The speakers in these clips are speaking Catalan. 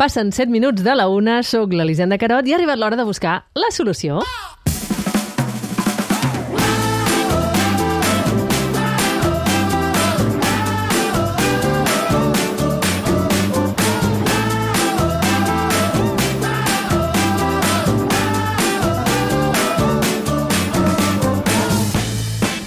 Passen 7 minuts de la 1, soc l'Elisenda Carot i ha arribat l'hora de buscar la solució.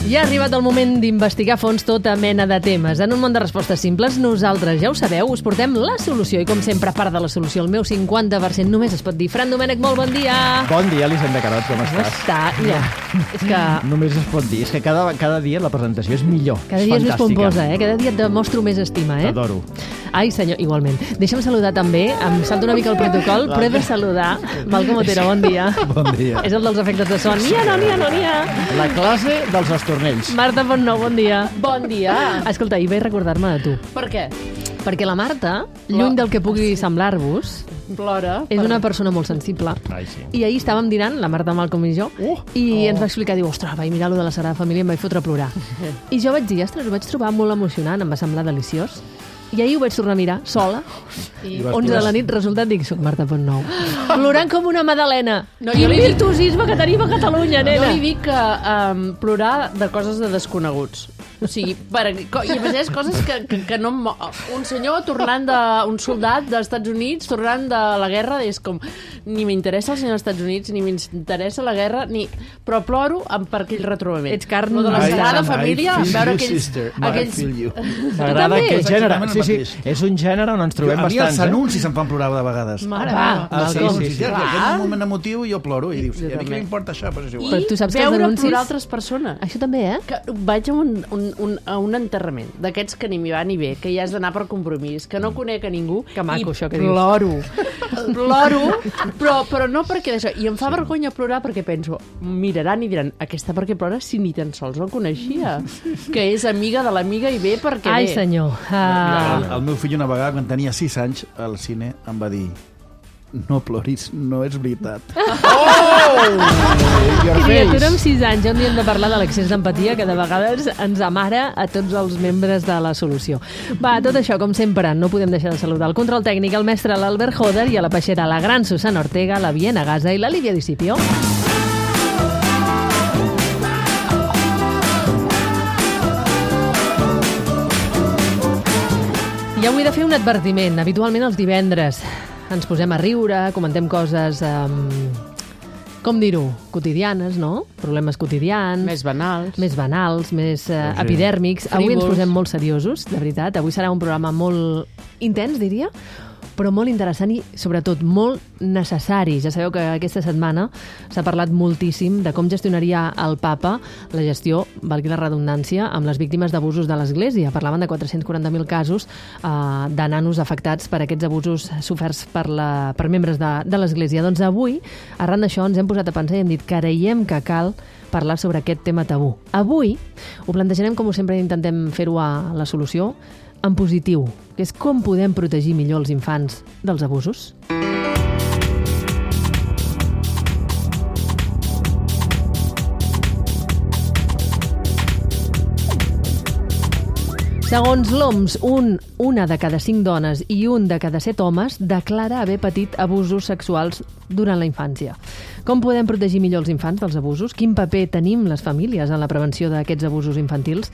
Ja ha arribat el moment d'investigar a fons tota mena de temes. En un món de respostes simples, nosaltres, ja ho sabeu, us portem la solució. I com sempre, a part de la solució, el meu 50% només es pot dir. Fran Domènech, molt bon dia. Bon dia, Elisenda Carot, com estàs? Està, ja. És que... Només es pot dir. És que cada dia la presentació és millor. Cada dia és més pomposa, eh? Cada dia et demostro més estima, eh? T'adoro. Ai, senyor, igualment. Deixa'm saludar també, em salto una mica el protocol, però he de saludar Malcom Otero, bon dia. Bon dia. És el dels efectes de son. N'hi ha. La classe dels estornells. Marta Fontnou, bon dia. Bon dia. Escolta, ahir vaig recordar-me de tu. Per què? Perquè la Marta, lluny del que pugui semblar-vos, Plora. és una persona molt sensible. Ai, sí. I ahir estàvem dinant, la Marta, Malcom i jo, i ens va explicar, diu, ostres, vaig mirar lo de la Sagrada Família i em vaig fotre a plorar. I jo vaig dir, ostres, ho vaig trobar molt emocionant, em va semblar deliciós. I ahir ho vaig tornar a mirar, sola, I 11 de la nit, resultat, dic, soc Marta Fontnou. Plorant com una madalena. No, Quin jo li dic- virtuosisme que tenim a Catalunya, Jo nena. li dic que plorar de coses de desconeguts. O sigui, i a més coses que no... Un senyor tornant un soldat dels Estats Units tornant de la guerra, és com... Ni m'interessa el senyor dels Estats Units, ni m'interessa la guerra, però ploro per aquell retrobament. Ets carn... Lo de la Sagrada Família, I feel veure you, aquells... sister. aquells... I feel you. M'agrada també? aquest gènere. Exactament el Sí, mateix. és un gènere on ens trobem A mi els bastants. anuncis em fan plorar de vegades. Mare Va, meva. Malcom. sí. En aquell moment emotiu jo ploro i dius, Jo a mi què també. m'importa això? Però és igual. Però tu saps que els veure anuncis- plorar altres persones. Això també, eh? Que vaig a un enterrament d'aquests que ni m'hi va ni bé, que ja has d'anar per compromís, que no conec a ningú. Que maco, i això que dius. ploro, però no perquè d'això. I em fa vergonya plorar perquè penso, miraran i diran, aquesta per què plora si ni tan sols el coneixia? Que és amiga de l'amiga i bé perquè Ai, bé. senyor. El meu fill una vegada, quan tenia 6 anys, al cine em va dir, no ploris, no és veritat. Criatura amb 6 anys, on hem de parlar de l'excés d'empatia que de vegades ens amara a tots els membres de la solució. Va, tot això, com sempre, no podem deixar de saludar el control tècnic, el mestre l'Albert Joder i a la peixera la gran Susana Ortega, la Viena Gaza i la Lídia Discipio. I avui he de fer un advertiment. Habitualment els divendres ens posem a riure, comentem coses, com dir-ho, quotidianes, no? Problemes quotidians. Més banals. Més banals, més epidèrmics. Avui ens Frívols. posem molt seriosos, de veritat. Avui serà un programa molt intens, diria, però molt interessant i, sobretot, molt necessari. Ja sabeu que aquesta setmana s'ha parlat moltíssim de com gestionaria el papa la gestió, valgui la redundància, amb les víctimes d'abusos de l'Església. Parlaven de 440.000 casos de nanos afectats per aquests abusos soferts per membres de l'Església. Doncs avui, arran d'això, ens hem posat a pensar i hem dit que creiem que cal parlar sobre aquest tema tabú. Avui ho plantejarem, com sempre intentem fer-ho a la solució, en positiu, que és com podem protegir millor els infants dels abusos. Segons l'OMS, una de cada 5 dones i un de cada 7 homes declara haver patit abusos sexuals durant la infància. Com podem protegir millor els infants dels abusos? Quin paper tenim les famílies en la prevenció d'aquests abusos infantils?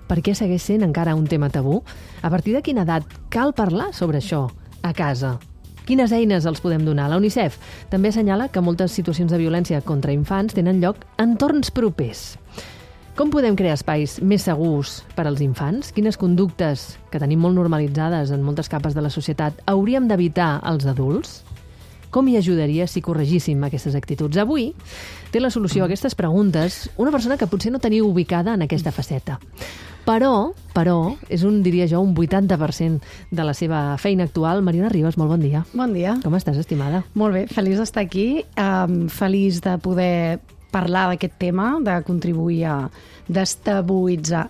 Per què segueix sent encara un tema tabú? A partir de quina edat cal parlar sobre això a casa? Quines eines els podem donar? La UNICEF també assenyala que moltes situacions de violència contra infants tenen lloc en entorns propers. Com podem crear espais més segurs per als infants? Quines conductes, que tenim molt normalitzades en moltes capes de la societat, hauríem d'evitar als adults? Com hi ajudaria si corregíssim aquestes actituds? Avui té la solució a aquestes preguntes una persona que potser no teniu ubicada en aquesta faceta. Però, és diria jo, un 80% de la seva feina actual. Mariona Ribas, molt bon dia. Bon dia. Com estàs, estimada? Molt bé, feliç d'estar aquí, feliç de poder parlar d'aquest tema, de contribuir a destabilitzar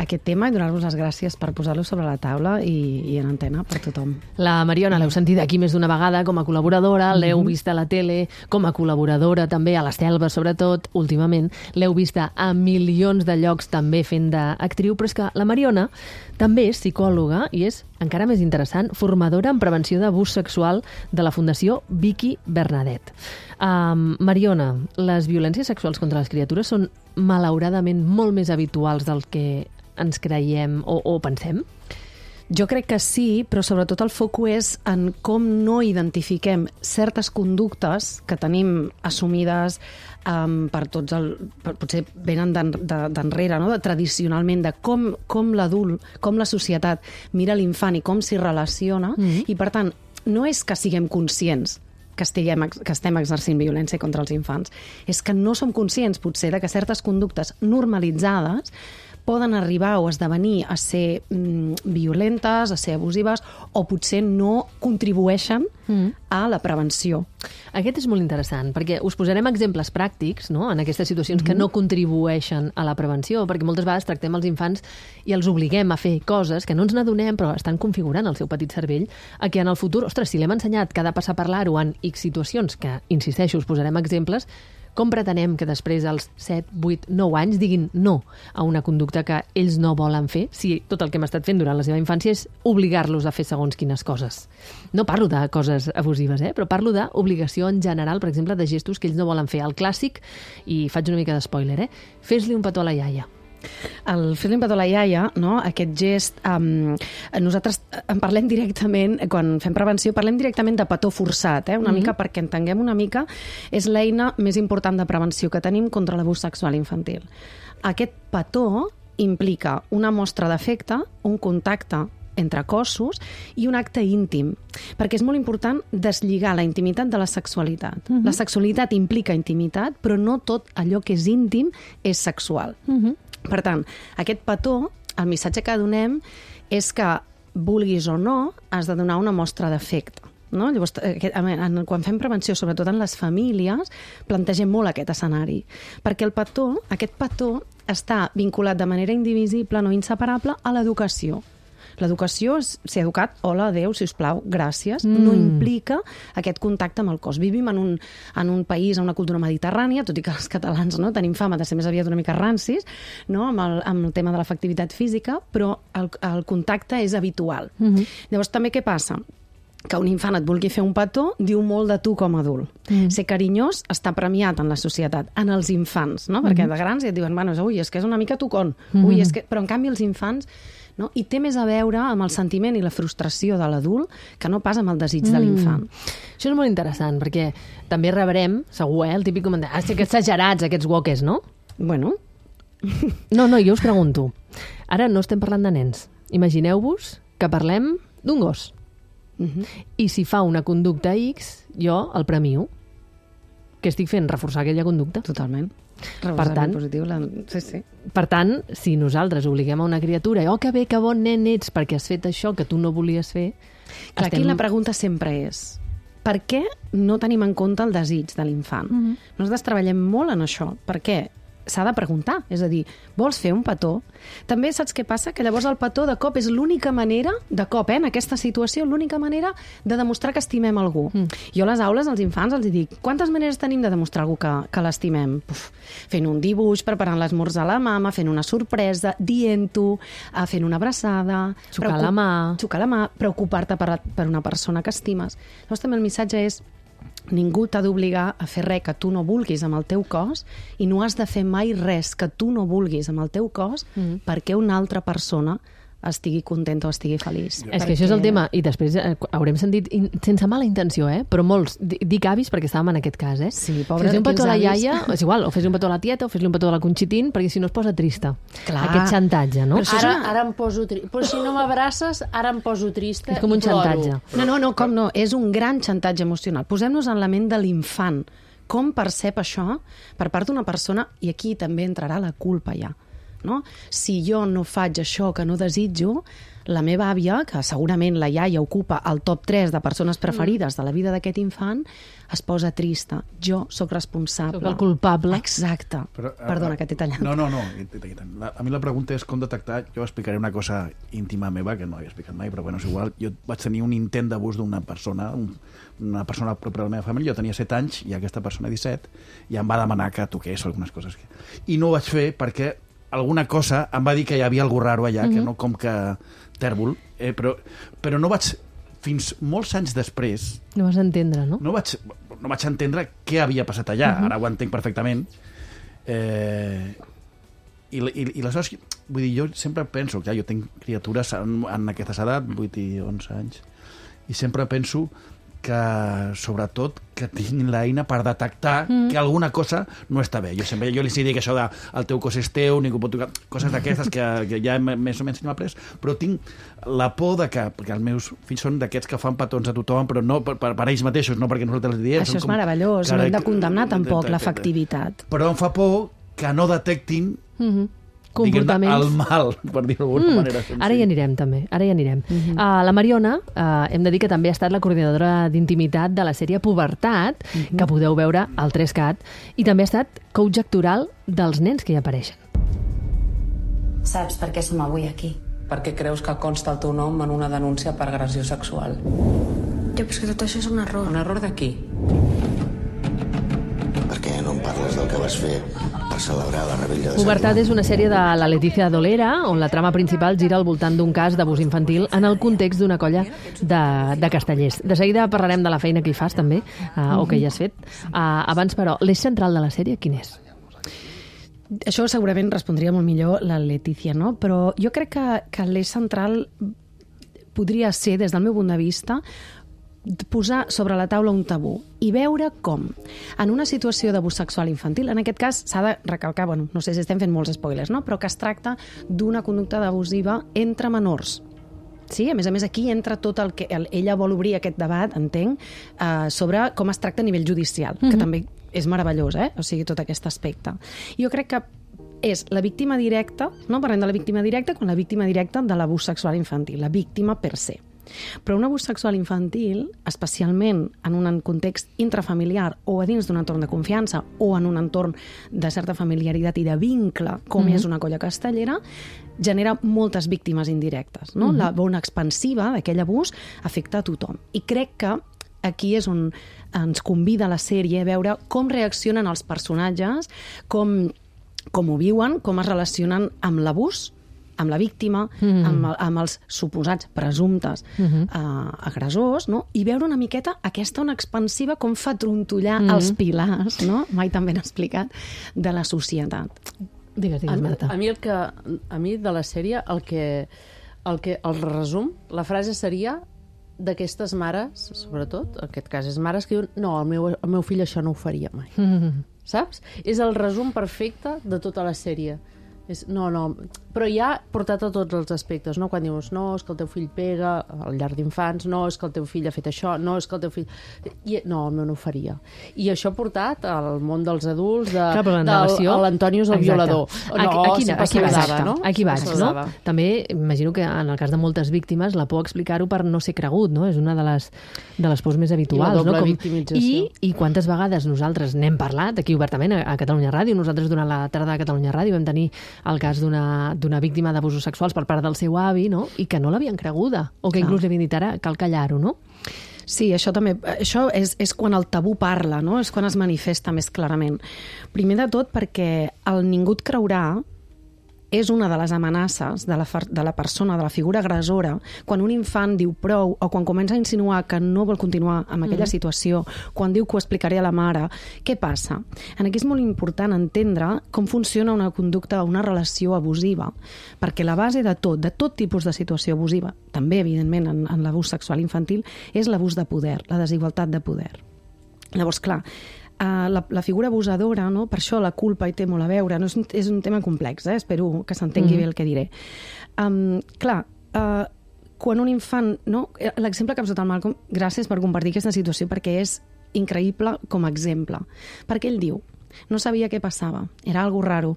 aquest tema i donar-vos les gràcies per posar-lo sobre la taula i en antena per tothom. La Mariona l'heu sentit aquí més d'una vegada com a col·laboradora, l'heu vista a la tele com a col·laboradora també, a la Selva sobretot, últimament, l'heu vista a milions de llocs també fent d'actriu, però és que la Mariona també és psicòloga i és, encara més interessant, formadora en prevenció d'abús sexual de la Fundació Vicky Bernadet. Mariona, les violències sexuals contra les criatures són malauradament molt més habituals del que ens creiem o pensem? Jo crec que sí, però sobretot el foc és en com no identifiquem certes conductes que tenim assumides per tots potser venen d'enrere, no? Tradicionalment, de com l'adult, com la societat mira l'infant i com s'hi relaciona, i per tant, no és que siguem conscients que estem exercint violència contra els infants. És que no som conscients, potser, de que certes conductes normalitzades poden arribar o esdevenir a ser violentes, a ser abusives, o potser no contribueixen a la prevenció. Aquest és molt interessant, perquè us posarem exemples pràctics, no?, en aquestes situacions que no contribueixen a la prevenció, perquè moltes vegades tractem els infants i els obliguem a fer coses que no ens n'adonem, però estan configurant el seu petit cervell, a que en el futur, ostres, si l'hem ensenyat que ha de passar a parlar-ho en X situacions, que, insisteixo, us posarem exemples, com pretenem que després als 7, 8, 9 anys diguin no a una conducta que ells no volen fer, si tot el que hem estat fent durant la seva infància és obligar-los a fer segons quines coses? No parlo de coses abusives, però parlo d'obligació en general, per exemple, de gestos que ells no volen fer. El clàssic, i faig una mica d'espoiler, fes-li un petó a la iaia. El fer-li un petó a la iaia, no? Aquest gest, nosaltres en parlem directament, quan fem prevenció, parlem directament de petó forçat, una mica perquè entenguem una mica, és l'eina més important de prevenció que tenim contra l'abús sexual infantil. Aquest petó implica una mostra d'afecte, un contacte entre cossos i un acte íntim, perquè és molt important deslligar la intimitat de la sexualitat. La sexualitat implica intimitat, però no tot allò que és íntim és sexual. Per tant, aquest petó, el missatge que donem és que, vulguis o no, has de donar una mostra d'afecte. No? Llavors, quan fem prevenció, sobretot en les famílies, plantegem molt aquest escenari. Perquè aquest petó està vinculat de manera indivisible, no inseparable, a l'educació. L'educació és ser educat, hola, adéu, sisplau, gràcies, no implica aquest contacte amb el cos. Vivim en un país, en una cultura mediterrània, tot i que els catalans tenim fama de ser més aviat una mica rancis, no? amb el tema de l'afectivitat física, però el contacte és habitual. Llavors, també què passa? Que un infant et vulgui fer un petó diu molt de tu com a adult. Ser carinyós està premiat en la societat, en els infants, no? Perquè de grans ja et diuen, bueno, ui, és que és una mica tocón, però en canvi els infants, no? I té més a veure amb el sentiment i la frustració de l'adult que no pas amb el desig de l'infant. Això és molt interessant, perquè també rebrem, segur, el típic comentari, que exagerats aquests woques, no? Bueno. No, jo us pregunto. Ara no estem parlant de nens. Imagineu-vos que parlem d'un gos. I si fa una conducta X, jo el premio. Què estic fent? Reforçar aquella conducta. Totalment. Per tant, positiu, sí. Per tant, si nosaltres obliguem a una criatura que bé, que bon nen ets perquè has fet això que tu no volies fer... Clar, aquí la pregunta sempre és per què no tenim en compte el desig de l'infant? Nosaltres treballem molt en això. Per què? S'ha de preguntar, és a dir, vols fer un petó? També saps què passa? Que llavors el petó de cop és l'única manera, en aquesta situació, l'única manera de demostrar que estimem algú. Jo a les aules als infants els dic, quantes maneres tenim de demostrar algú que l'estimem? Fent un dibuix, preparant l'esmorzar a la mama, fent una sorpresa, dient-ho, fent una abraçada... Xocar la mà, preocupar-te per una persona que estimes. Llavors també el missatge és ningú t'ha d'obligar a fer res que tu no vulguis amb el teu cos i no has de fer mai res que tu no vulguis amb el teu cos perquè una altra persona estigui contenta o estigui feliç. És que això és el tema, i després haurem sentit, sense mala intenció, però molts, dic avis perquè estàvem en aquest cas, Sí, pobres, fes-li un petó a la iaia, és igual, o fes-li un petó a la tieta, o fes-li un petó a la Conxitín, perquè si no es posa trista. Clar. Aquest xantatge, no? Ara em poso trista. Però si no m'abraces, ara em poso trista. És com un xantatge. No, com no? És un gran xantatge emocional. Posem-nos en la ment de l'infant. Com percep això per part d'una persona, i aquí també entrarà la culpa ja. No? Si jo no faig això que no desitjo, la meva àvia, que segurament la iaia ocupa el top 3 de persones preferides de la vida d'aquest infant, es posa trista. Jo sóc responsable. Sóc el culpable. Exacte. Perdona, que t'he tallat. No. A mi la pregunta és com detectar... Jo explicaré una cosa íntima meva, que no havia explicat mai, però bueno, és igual. Jo vaig tenir un intent d'abús d'una persona, una persona propera de la meva família. Jo tenia 7 anys i aquesta persona 17, i em va demanar que toqués algunes coses. I no ho vaig fer perquè alguna cosa em va dir que hi havia algú raro allà, que no com que tèrbol, però no vaig... Fins molts anys després... No vas entendre, no? No vaig entendre què havia passat allà. Ara ho entenc perfectament. I aleshores, vull dir, jo sempre penso, clar, jo tinc criatures en aquestes edat, 8 i 11 anys, i sempre penso que, sobretot, que tinc l'eina per detectar que alguna cosa no està bé. Jo li dic això de el teu cos és teu, ningú pot tocar, coses d'aquestes que ja més o menys m'ha après, però tinc la por de que, perquè els meus fills són d'aquests que fan petons a tothom, però no per ells mateixos, no perquè nosaltres els diem. Això és meravellós, no hem de condemnar tampoc l'efectivitat. Però em fa por que no detectin comportaments. El mal, per dir-ho d'alguna manera. Ara hi anirem, també. La Mariona, hem de dir que també ha estat la coordinadora d'intimitat de la sèrie Pubertat, que podeu veure al 3CAT, i també ha estat coach actoral dels nens que hi apareixen. Saps per què som avui aquí? Perquè creus que consta el teu nom en una denúncia per agressió sexual. Jo, però és que tot això és un error. Un error de qui? Per què no em parles del que vas fer per celebrar la rebella de Sant Pubertat Joan? és una sèrie de la Letícia Dolera, on la trama principal gira al voltant d'un cas d'abús infantil en el context d'una colla de castellers. De seguida parlarem de la feina que hi fas, també, o que hi has fet. Abans, però, l'eix central de la sèrie, quin és? Això segurament respondria molt millor la Letícia, no? Però jo crec que l'eix central podria ser, des del meu punt de vista, posar sobre la taula un tabú i veure com, en una situació d'abús sexual infantil, en aquest cas s'ha de recalcar, bueno, no sé si estem fent molts spoilers, no? Però que es tracta d'una conducta abusiva entre menors. Sí, a més, aquí entra tot el que... Ella vol obrir aquest debat, entenc, sobre com es tracta a nivell judicial, que també és meravellós, o sigui, tot aquest aspecte. Jo crec que és la víctima directa, no parlem de la víctima directa, com la víctima directa de l'abús sexual infantil, la víctima per se. Però un abús sexual infantil, especialment en un context intrafamiliar o a dins d'un entorn de confiança o en un entorn de certa familiaritat i de vincle, com és una colla castellera, genera moltes víctimes indirectes. No? La bona expansiva d'aquell abús afecta a tothom. I crec que aquí és on ens convida la sèrie a veure com reaccionen els personatges, com ho viuen, com es relacionen amb l'abús, amb la víctima, amb els suposats presumptes agressors, no? I veure una miqueta aquesta ona expansiva com fa trontollar els pilars, no? Mai tan ben explicat, de la societat. Digues, Marta. A mi de la sèrie el resum, la frase seria d'aquestes mares, sobretot, en aquest cas és mares que diuen no, el meu fill això no ho faria mai. Saps? És el resum perfecte de tota la sèrie. No, però ja portat a tots els aspectes, no? Quan dius, no, és que el teu fill pega al llarg d'infants, no, és que el teu fill ha fet això, no, és que el teu fill... No, el meu no ho faria. I això ha portat al món dels adults l'Antoni és el violador. Aquí vaig, no? També imagino que en el cas de moltes víctimes la por explicar-ho per no ser cregut, no? És una de les pors més habituals. I la doble victimització. I quantes vegades nosaltres n'hem parlat aquí obertament a Catalunya Ràdio. Nosaltres durant la tarda de Catalunya Ràdio vam tenir el cas d'una víctima d'abusos sexuals per part del seu avi, no? I que no l'havien creguda, o que inclús li havien dit ara cal callar-ho, no? Sí, això és quan el tabú parla, no? És quan es manifesta més clarament. Primer de tot perquè el ningú et creurà és una de les amenaces de la persona, de la figura agressora, quan un infant diu prou o quan comença a insinuar que no vol continuar amb aquella situació, quan diu que ho explicaré a la mare, què passa? Aquí és molt important entendre com funciona una conducta, una relació abusiva, perquè la base de tot tipus de situació abusiva, també, evidentment, en l'abús sexual infantil, és l'abús de poder, la desigualtat de poder. Llavors, clar, la figura abusadora, no? Per això la culpa hi té molt a veure, no? És un tema complex, espero que s'entengui bé el que diré. Clar, quan un infant... No? L'exemple que ha posat el Malcolm, gràcies per compartir aquesta situació, perquè és increïble com a exemple. Perquè ell diu, no sabia què passava, era algo raro,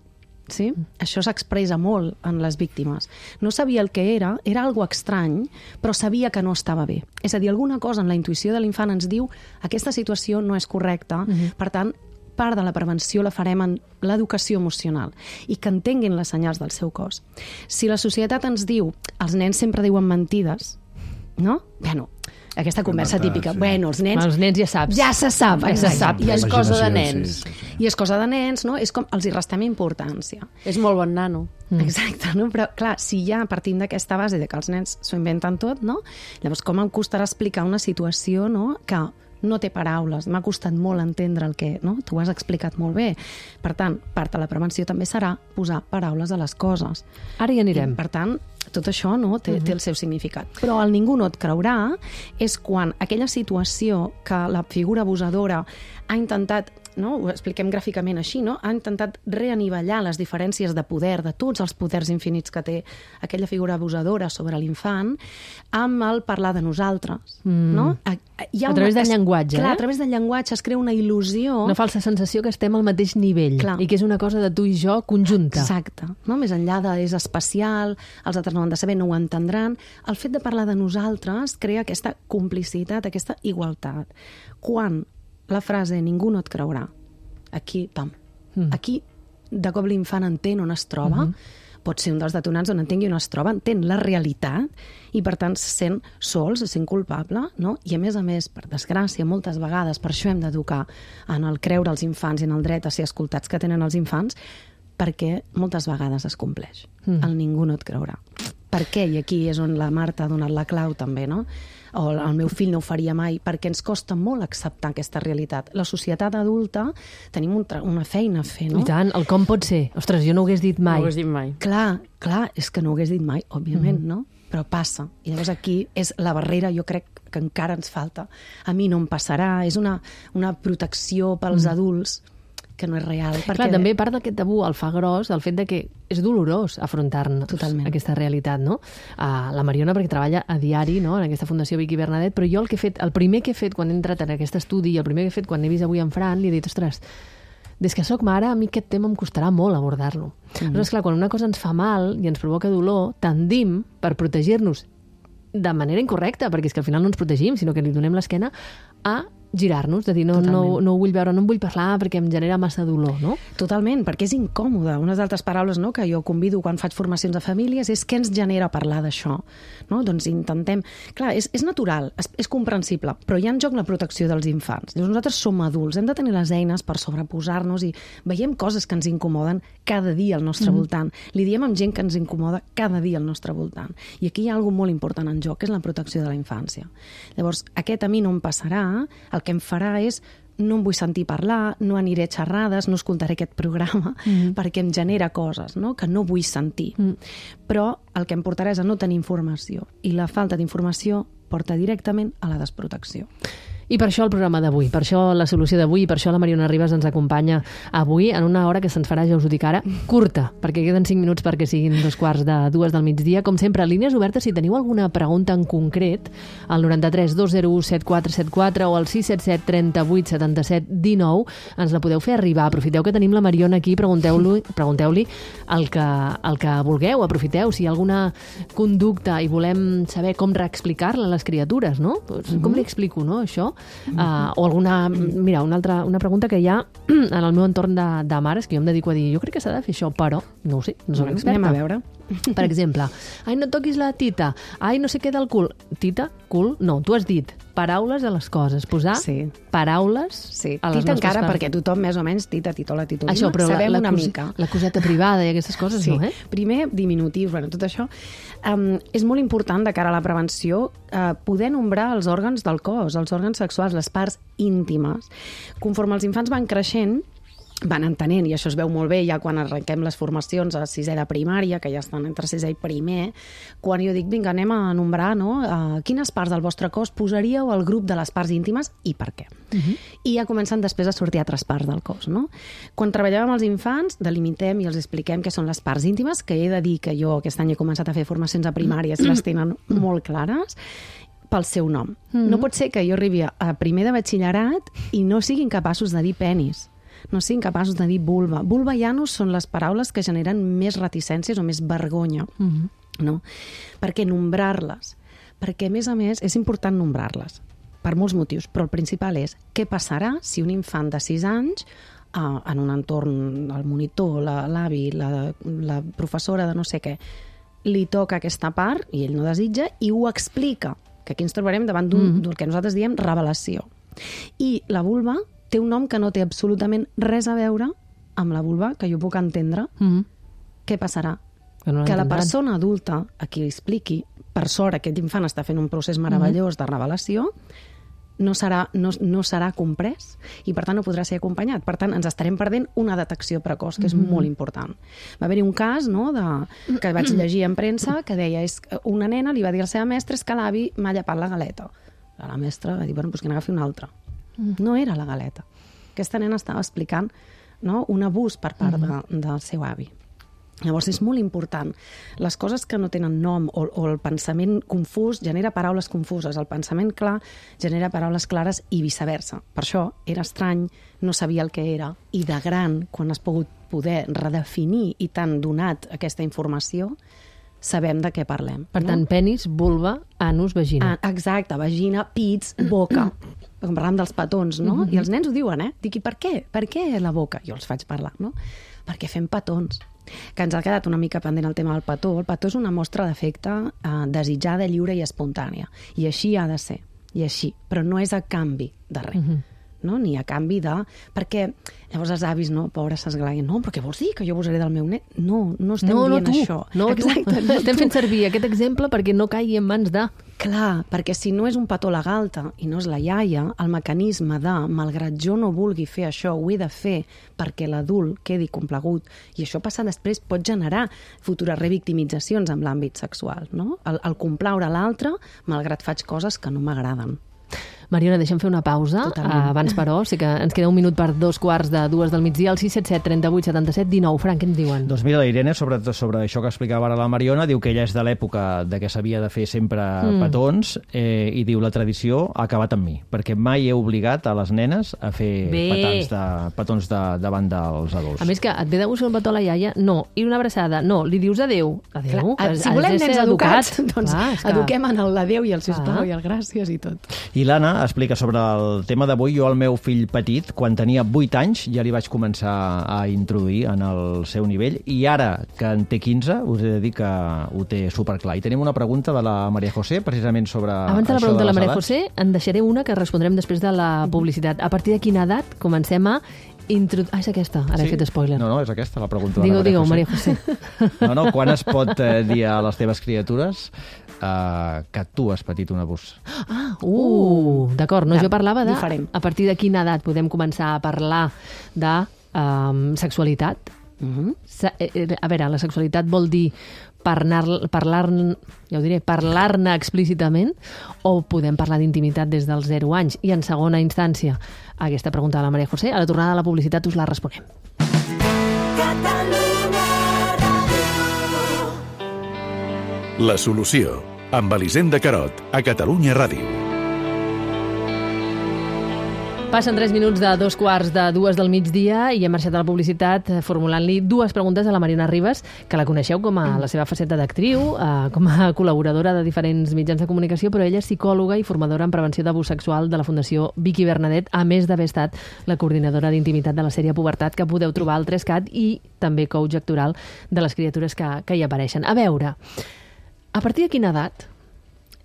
Sí? Això s'expressa molt en les víctimes. No sabia el que era algo estrany, però sabia que no estava bé. És a dir, alguna cosa en la intuïció de l'infant ens diu aquesta situació no és correcta, per tant, part de la prevenció la farem en l'educació emocional i que entenguin les senyals del seu cos. Si la societat ens diu els nens sempre diuen mentides, no? Bueno, aquesta conversa típica. Sí. Bueno, els nens ja saps. Ja se sap, exacte. I és cosa de nens. Sí. I és cosa de nens, no? És com els hi restem importància. És molt bon nano. Exacte, no? Però clar, si ja partim d'aquesta base de que els nens s'ho inventen tot, no? Llavors, com em costarà explicar una situació, no?, que no té paraules, m'ha costat molt entendre el que, no? Tu ho has explicat molt bé. Per tant, part de la prevenció també serà posar paraules a les coses. Ara hi anirem. I, per tant, tot això no, té el seu significat. Però el ningú no et creurà és quan aquella situació que la figura abusadora ha intentat, no, ho expliquem gràficament així, no? Ha intentat reanivellar les diferències de poder, de tots els poders infinits que té aquella figura abusadora sobre l'infant, amb el parlar de nosaltres. No? A través del llenguatge. Clar, a través del llenguatge es crea una il·lusió. Una falsa sensació que estem al mateix nivell. Clar. I que és una cosa de tu i jo conjunta. Exacte. No? Més enllà de és especial, els altres no ho han de saber, no ho entendran. El fet de parlar de nosaltres crea aquesta complicitat, aquesta igualtat. Quan la frase ningú no et creurà, aquí, pam, aquí de cop l'infant entén on es troba, pot ser un dels detonants on entengui on es troba, entén la realitat i per tant se sent sol, se sent culpable, no? I a més, per desgràcia, moltes vegades, per això hem d'educar en el creure als infants i en el dret a ser escoltats que tenen els infants, perquè moltes vegades es compleix. El ningú no et creurà. Per què? I aquí és on la Marta ha donat la clau també, no? O el meu fill no ho faria mai, perquè ens costa molt acceptar aquesta realitat. La societat adulta tenim una feina a fer, no? I tant, el com pot ser. Ostres, jo no ho hagués dit mai. No ho hagués dit mai. Clar, és que no ho hagués dit mai, òbviament, no? Però passa. I llavors aquí és la barrera, jo crec que encara ens falta. A mi no em passarà, és una protecció pels adults que no és real. Perquè... Clar, també part d'aquest tabú el fa gros el fet de que és dolorós afrontar-nos aquesta realitat, no? La Mariona, perquè treballa a diari, no?, en aquesta Fundació Vicky Bernadet, però jo el primer que he fet quan he entrat en aquest estudi i el primer que he fet quan he vist avui en Fran, li he dit, ostres, des que sóc mare, a mi aquest tema em costarà molt abordar-lo. Aleshores, clar, quan una cosa ens fa mal i ens provoca dolor, tendim, per protegir-nos de manera incorrecta, perquè és que al final no ens protegim, sinó que li donem l'esquena, a girar-nos, de dir, no ho vull veure, no en vull parlar perquè em genera massa dolor, no? Totalment, perquè és incòmode. Unes altres paraules, no?, que jo convido quan faig formacions a famílies és què ens genera parlar d'això, no? Doncs intentem... Clar, és natural, és comprensible, però hi ha en joc la protecció dels infants. Llavors nosaltres som adults, hem de tenir les eines per sobreposar-nos i veiem coses que ens incomoden cada dia al nostre voltant. Li diem amb gent que ens incomoda cada dia al nostre voltant. I aquí hi ha alguna molt important en joc, que és la protecció de la infància. Llavors, aquest a mi no em passarà, el que em farà és no em vull sentir parlar, no aniré a xerrades, no escoltaré aquest programa, perquè em genera coses, no?, que no vull sentir. Però el que em portarà és a no tenir informació. I la falta d'informació porta directament a la desprotecció. I per això el programa d'avui, per això la solució d'avui, per això la Mariona Ribas ens acompanya avui en una hora que se'ns farà, ja us ho dic ara, curta, perquè queden 5 minuts perquè siguin 2:45 del migdia. Com sempre, línies obertes, si teniu alguna pregunta en concret, al 93 201 7474 o al 677 38 77 19, ens la podeu fer arribar. Aprofiteu que tenim la Mariona aquí, pregunteu-li el que vulgueu, aprofiteu. Si hi ha alguna conducta i volem saber com reexplicar-la a les criatures, no? Com li explico, no, això? O alguna... Mira, una pregunta que hi ha en el meu entorn de mares, que jo em dedico a dir, jo crec que s'ha de fer això, però no ho sé, no soc experta. Anem a veure. Per exemple, ai, no toquis la tita, ai, no sé què del cul. Tita, cul, no, tu has dit paraules a les coses, posar paraules a les tita nostres encara, coses. perquè tothom més o menys, tita, titola, titolina, això, però sabem una mica. La coseta privada i aquestes coses, no, eh? Primer, diminutius, bueno, tot això. És molt important de cara a la prevenció poder nombrar els òrgans del cos, els òrgans sexuals, les parts íntimes. Conforme els infants van creixent, van entenent, i això es veu molt bé ja quan arrenquem les formacions a 6è de primària, que ja estan entre 6è i primer, quan jo dic, vinga, anem a nombrar, no?, quines parts del vostre cos posaríeu al grup de les parts íntimes i per què. I ja comencen després a sortir altres parts del cos, no? Quan treballem amb els infants, delimitem i els expliquem què són les parts íntimes, que he de dir que jo aquest any he començat a fer formacions a primàries i les tenen molt clares, pel seu nom. No pot ser que jo arribi a primer de batxillerat i no siguin capaços de dir penis. no siguin capaços de dir vulva. Vulva i anus són les paraules que generen més reticències o més vergonya, no? Per què nombrar-les? Perquè, a més, és important nombrar-les, per molts motius, però el principal és què passarà si un infant de 6 anys, en un entorn, el monitor, l'avi, la professora de no sé què, li toca aquesta part i ell no desitja i ho explica, que aquí ens trobarem davant d'un que nosaltres diem revelació. I la vulva té un nom que no té absolutament res a veure amb la vulva que jo puc entendre. Què passarà? Que la persona adulta a qui li expliqui, per sort aquest infant està fent un procés meravellós de revelació, no serà comprès i per tant no podrà ser acompanyat. Per tant, ens estarem perdent una detecció precoç, que és molt important. Va haver-hi un cas, no, que vaig llegir en premsa que deia una nena li va dir a la seva mestra és que l'avi m'ha llepat la galeta. La mestra va dir, bueno, doncs que n'agafi una altra. No era la galeta. Aquesta nena estava explicant, no, un abús per part del seu avi. Llavors, és molt important. Les coses que no tenen nom o el pensament confús genera paraules confuses. El pensament clar genera paraules clares i viceversa. Per això era estrany, no sabia el que era. I de gran, quan has pogut poder redefinir i t'han donat aquesta informació, sabem de què parlem. Per tant, penis, vulva, anus, vagina. Exacte, vagina, pits, boca. Com parlàvem dels petons, no? I els nens ho diuen, Dic, i per què? Per què la boca? Jo els faig parlar, no? Perquè fem petons. Que ens ha quedat una mica pendent el tema del petó. El petó és una mostra d'afecte desitjada, lliure i espontània. I així ha de ser. I així. Però no és a canvi de res. No? Ni a canvi de... Perquè llavors els avis, no, pobres, s'esglaien. No, però què vols dir? Que jo abusaré del meu net? No estem dient això. Exacte, no estem fent servir aquest exemple perquè no caigui en mans de... Clar, perquè si no és un petó legal i no és la iaia, el mecanisme de, malgrat jo no vulgui fer això, ho he de fer perquè l'adult quedi complagut, i això passa després, pot generar futures revictimitzacions en l'àmbit sexual, no? El complaure l'altre, malgrat faig coses que no m'agraden. Mariona, deixa'm fer una pausa. Abans, però, sí que ens queda un minut per 2:45 del migdia, al 677 38 77 19. Frank, què ens diuen? Doncs mira, la Irene, sobre això que explicava ara la Mariona, diu que ella és de l'època de que s'havia de fer sempre petons, i diu la tradició ha acabat amb mi, perquè mai he obligat a les nenes a fer petons davant dels adults. A més que et ve de gust fer un petó a la iaia, no. I una abraçada, no. Li dius adéu. Adéu. Si volem nens educats, doncs eduquem en l'adéu i el sisplau i el gràcies i tot. I l'Anna explica sobre el tema d'avui. Jo al meu fill petit, quan tenia 8 anys, ja li vaig començar a introduir en el seu nivell, i ara que en té 15, us he de dir que ho té superclar. I tenim una pregunta de la Maria José, precisament sobre abans de la pregunta de la Maria José, en deixaré una que respondrem després de la publicitat. A partir de quina edat comencem a és aquesta, ara he fet spoiler. No, és aquesta la pregunta de la Maria José. No, quan es pot dir a les teves criatures que tu has patit un abús? D'acord, no, jo parlava de diferent. A partir de quina edat podem començar a parlar de sexualitat. A veure, la sexualitat vol dir parlar-ne explícitament, o podem parlar d'intimitat des dels 0 anys? I en segona instància, aquesta pregunta de la Maria José, a la tornada de la publicitat us la responem. La solució, amb Elisenda Carot, a Catalunya Ràdio. Passen 3 minuts de 2:45 del migdia i hem marxat a la publicitat formulant-li 2 preguntes a la Mariona Ribas, que la coneixeu com a la seva faceta d'actriu, com a col·laboradora de diferents mitjans de comunicació, però ella és psicòloga i formadora en prevenció d'abús sexual de la Fundació Vicky Bernadet, a més d'haver estat la coordinadora d'intimitat de la sèrie Pubertat, que podeu trobar al 3CAT, i també coach actoral de les criatures que hi apareixen. A veure, a partir de quina edat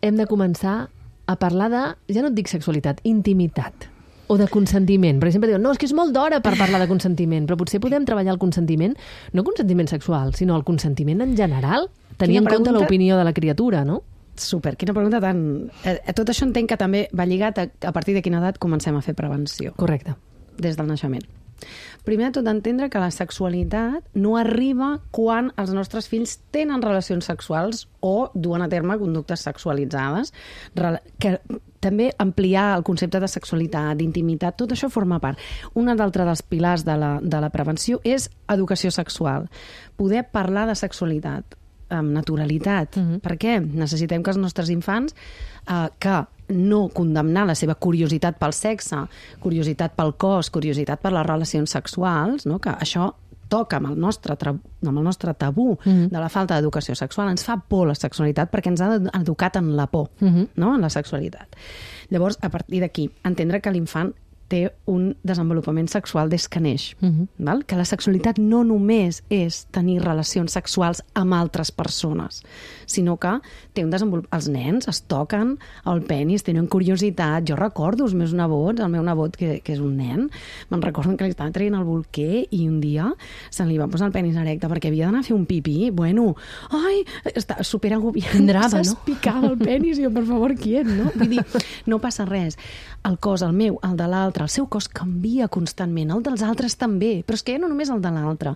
hem de començar a parlar de, ja no et dic sexualitat, intimitat, o de consentiment? Perquè sempre diuen, no, és que és molt d'hora per parlar de consentiment, però potser podem treballar el consentiment, no consentiment sexual, sinó el consentiment en general, tenir en compte l'opinió de la criatura, no? Super, quina pregunta tan... Tot això entenc que també va lligat a partir de quina edat comencem a fer prevenció. Correcte. Des del naixement. Primer de tot, entendre que la sexualitat no arriba quan els nostres fills tenen relacions sexuals o duen a terme conductes sexualitzades, que també ampliar el concepte de sexualitat, d'intimitat, tot això forma part. Un altre dels pilars de la prevenció és educació sexual. Poder parlar de sexualitat amb naturalitat. Per què? Necessitem que els nostres infants, que no condemnar la seva curiositat pel sexe, curiositat pel cos, curiositat per les relacions sexuals, no? Que això toca amb el nostre tabú de la falta d'educació sexual. Ens fa por la sexualitat perquè ens ha educat en la por, no? En la sexualitat. Llavors, a partir d'aquí, entendre que l'infant té un desenvolupament sexual des que neix. Val? Que la sexualitat no només és tenir relacions sexuals amb altres persones, sinó que té un desenvolupament... Els nens es toquen el penis, tenen curiositat. Jo recordo els meus nebots, el meu nebot, que és un nen, me'n recordo que li estava traient el bolquer i un dia se li va posar el penis erecte perquè havia d'anar a fer un pipí. Bueno, ai, estava superagobiant. S'espicava el penis i jo, per favor, quiet, no? Vull dir, no passa res. El cos, el meu, el de l'altre, el seu cos canvia constantment, el dels altres també, però és que ja no només el de l'altre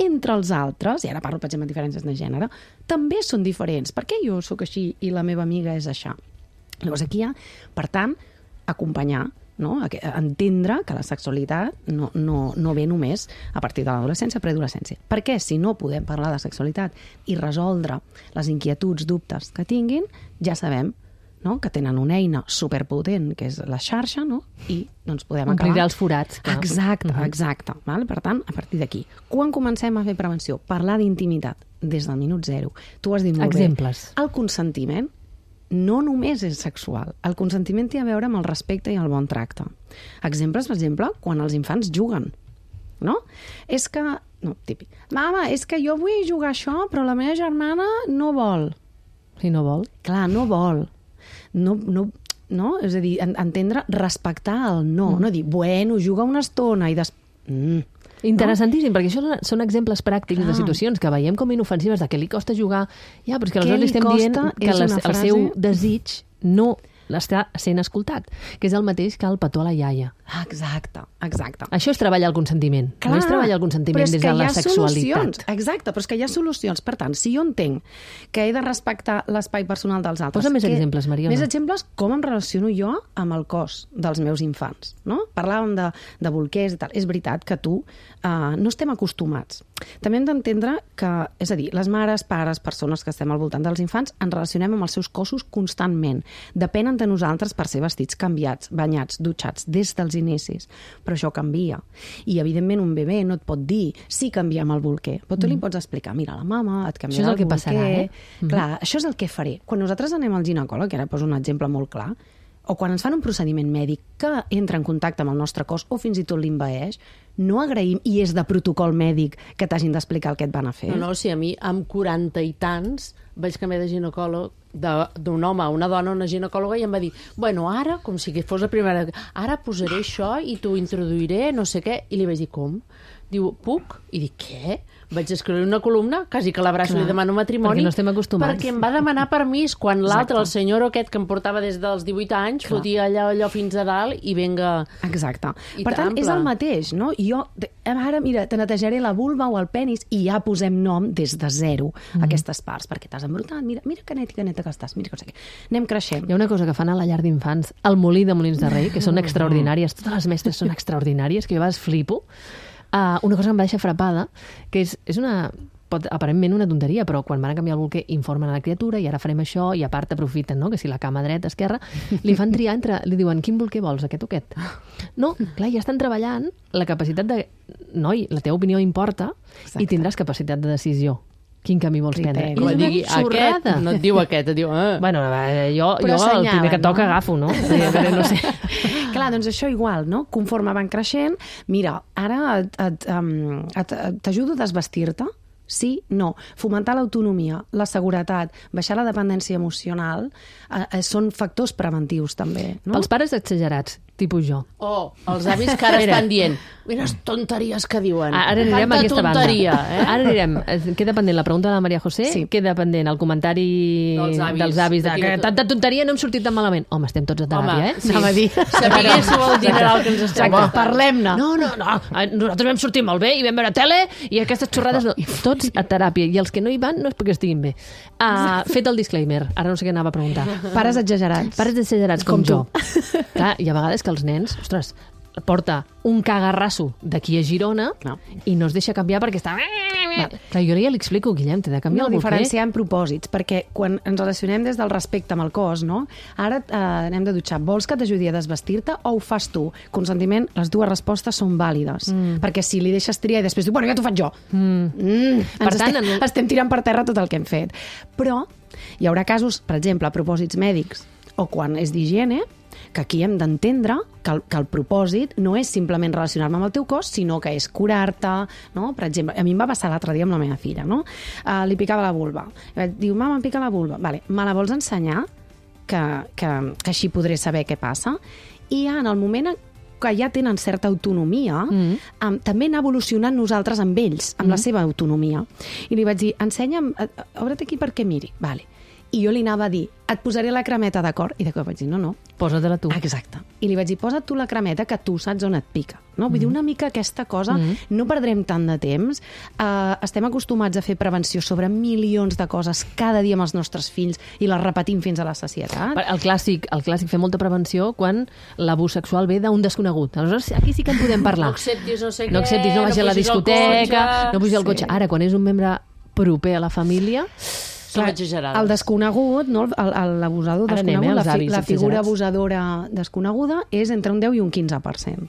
entre els altres, i ara parlo, per exemple, de diferències de gènere, també són diferents. Per què jo sóc així i la meva amiga és això? Llavors aquí hi ha, per tant, acompanyar, no? Entendre que la sexualitat no ve només a partir de l'adolescència, preadolescència. Perquè si no podem parlar de sexualitat i resoldre les inquietuds, dubtes que tinguin, ja sabem, no? Que tenen una eina superpotent, que és la xarxa, no? I doncs podem acabar... Omplir els forats. Clar. Exacte. Val? Per tant, a partir d'aquí, quan comencem a fer prevenció? Parlar d'intimitat des del minut zero. Tu has dit molt Exemples. bé. El consentiment no només és sexual. El consentiment té a veure amb el respecte i el bon tracte. Exemples, per exemple, quan els infants juguen. No? És que... No, típic. Mama, és que jo vull jugar això, però la meva germana no vol. Si no vol. Clar, no vol. No? És a dir, entendre, respectar el no. No dir, bueno, juga una estona i després... Interessantíssim, perquè això són exemples pràctics de situacions que veiem com inofensives, de què li costa jugar, ja, però és que aleshores li estem dient que el seu desig no l'està sent escoltat, que és el mateix que el petó a la iaia. Exacte. Això és treballar el consentiment. Clar, no és treballar el consentiment des de la sexualitat. Exacte, però és que hi ha solucions. Per tant, si jo entenc que he de respectar l'espai personal dels altres... Posa més exemples, Mariona. Més exemples, com em relaciono jo amb el cos dels meus infants. No? Parlàvem de bolquers i tal. És veritat que no estem acostumats. També hem d'entendre que, és a dir, les mares, pares, persones que estem al voltant dels infants, ens relacionem amb els seus cossos constantment. Depenen de nosaltres per ser vestits canviats, banyats, dutxats, des dels inicis. Però això canvia. I, evidentment, un bebè no et pot dir sí, canviem el bolquer. Però tu li pots explicar, mira, la mama et canviarà el bolquer. Això és el que passarà, Clar, això és el que faré. Quan nosaltres anem al ginecòleg, ara poso un exemple molt clar, o quan ens fan un procediment mèdic que entra en contacte amb el nostre cos o fins i tot l'invaeix, no agraïm, i és de protocol mèdic, que t'hagin d'explicar el que et van a fer. No, si a mi, amb 40 i tants, vaig canviar de ginecòleg d'un home a una dona, una ginecòloga, i em va dir, bueno, ara, com si fos la primera, ara posaré això i t'ho introduiré, no sé què, i li vaig dir, com? Diu, puc? I dic, què? Vaig escriure una columna, quasi que l'abraço i li demano matrimoni, perquè no estem acostumats. Perquè em va demanar permís, quan l'altre, el senyor aquest que em portava des dels 18 anys, fotia allò fins a dalt i venga... Exacte. Per tant, és el mateix, no? Jo, ara, mira, te netejaré la vulva o el penis i ja posem nom des de zero a aquestes parts, perquè t'has embrutat, mira que neta que estàs, mira que no sé què. Anem creixent. Hi ha una cosa que fan a la llar d'infants, al Molí de Molins de Rei, que són extraordinàries, totes les mestres són extraordinàries, que jo a vegades flipo. Una cosa que em va deixar frapada, que és una... aparentment una tonteria, però quan van a canviar el bolquer informen a la criatura i ara farem això i a part aprofiten, no? Que si la cama dreta, esquerra, li fan triar li diuen, quin bolquer vols, aquest o aquest? No, clar, ja estan treballant la capacitat de... Noi, la teva opinió importa. Exacte. I tindràs capacitat de decisió. Quin camí vols prendre? Com digui, aquest, no et diu aquest, et diu... Bueno, jo el primer que toca agafo, no? No sé. Clar, doncs això igual, no? Conforme van creixent, mira, ara t'ajudo a desvestir-te, sí, no. Fomentar l'autonomia, la seguretat, baixar la dependència emocional, són factors preventius també, no? Pels pares exagerats, tipus jo. Els avis que ara estan dient, mira les tonteries que diuen. Ara anirem a aquesta banda. Ara anirem. Queda pendent la pregunta de la Maria José, queda pendent el comentari dels avis de que tanta tonteria no hem sortit tan malament. Home, estem tots a teràpia, Anava a dir. Sapiguéssiu el dineral que ens està. Parlem-ne. No. Nosaltres vam sortir molt bé i vam veure tele i aquestes xorrades no. Tots a teràpia. I els que no hi van no és perquè estiguin bé. Fet el disclaimer. Ara no sé què anava a preguntar. Pares exagerats. Pares exagerats com jo. Clar, hi ha vegades que els nens, ostres, porta un cagarrasso d'aquí a Girona i no es deixa canviar perquè està... Clar, jo ja li explico, Guillem, t'he de canviar el diferenciar en propòsits, perquè quan ens relacionem des del respecte amb el cos, no? Ara anem de dutxar, vols que t'ajudi a desvestir-te o ho fas tu? Consentiment, les dues respostes són vàlides, perquè si li deixes triar i després diu, bueno, ja t'ho faig jo. Per tant, estem tirant per terra tot el que hem fet. Però hi haurà casos, per exemple, a propòsits mèdics o quan és d'higiene, que aquí hem d'entendre que el propòsit no és simplement relacionar-me amb el teu cos, sinó que és curar-te, no? Per exemple, a mi em va passar l'altre dia amb la meva filla, no? Li picava la vulva. Diu, mama, em pica la vulva. Vale, me la vols ensenyar? Que així podré saber què passa? I ja en el moment que ja tenen certa autonomia, també anar evolucionant nosaltres amb ells, amb la seva autonomia. I li vaig dir, ensenya'm, obre't aquí perquè miri. Vale. I jo li anava a dir, et posaré la cremeta, d'acord? I de cop vaig dir, no. Posa-te-la tu. Exacte. I li vaig dir, posa't tu la cremeta, que tu saps on et pica. No? Vull dir, una mica aquesta cosa, no perdrem tant de temps. Estem acostumats a fer prevenció sobre milions de coses cada dia amb els nostres fills i les repetim fins a la sacietat. El clàssic fer molta prevenció quan l'abús sexual ve d'un desconegut. Aleshores, aquí sí que en podem parlar. No acceptis no sé què, no vagis a la discoteca, no pugis al cotxe. Ara, quan és un membre proper a la família... Són exagerades. El desconegut, no? L'abusador desconegut, la figura abusadora desconeguda és entre un 10 i un 15%.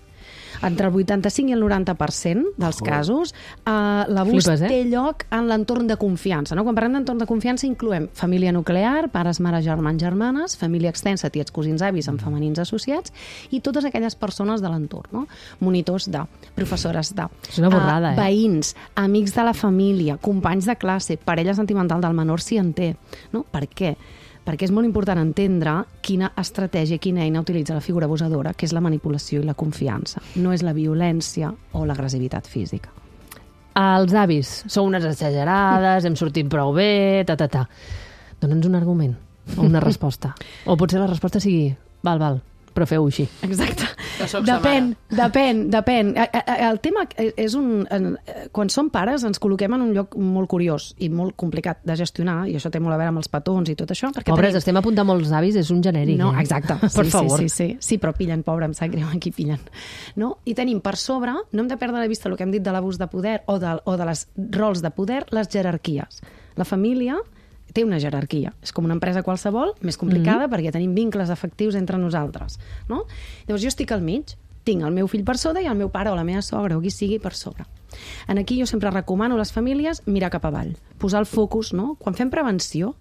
Entre el 85 i el 90% dels casos, l'abús té lloc en l'entorn de confiança. No? Quan parlem d'entorn de confiança incloem família nuclear, pares, mares, germans, germanes, família extensa, tiets, cosins, avis, amb femenins associats, i totes aquelles persones de l'entorn. No? Monitors de, professores de, veïns, amics de la família, companys de classe, parella sentimental del menor si en té. No? Per què? Perquè és molt important entendre quina estratègia, quina eina utilitza la figura abusadora, que és la manipulació i la confiança. No és la violència o l'agressivitat física. Els avis són unes exagerades, hem sortit prou bé, Dóna'ns un argument o una resposta. O potser la resposta sigui, val, però feu-ho així. Exacte. Depèn. El tema és quan som pares ens col·loquem en un lloc molt curiós i molt complicat de gestionar, i això té molt a veure amb els petons i tot això. Pobres, estem apuntant molts avis, és un genèric. No, exacte. Per favor. Sí, però pillen, pobre, em sap greu, aquí pillen. No? I tenim per sobre, no hem de perdre de vista el que hem dit de l'abús de poder o de les rols de poder, les jerarquies. La família té una jerarquia. És com una empresa qualsevol, més complicada, perquè tenim vincles afectius entre nosaltres. No? Llavors, jo estic al mig, tinc el meu fill per sota i el meu pare o la meva sogra o qui sigui per sobre. Aquí jo sempre recomano a les famílies mirar cap avall, posar el focus, no? Quan fem prevenció,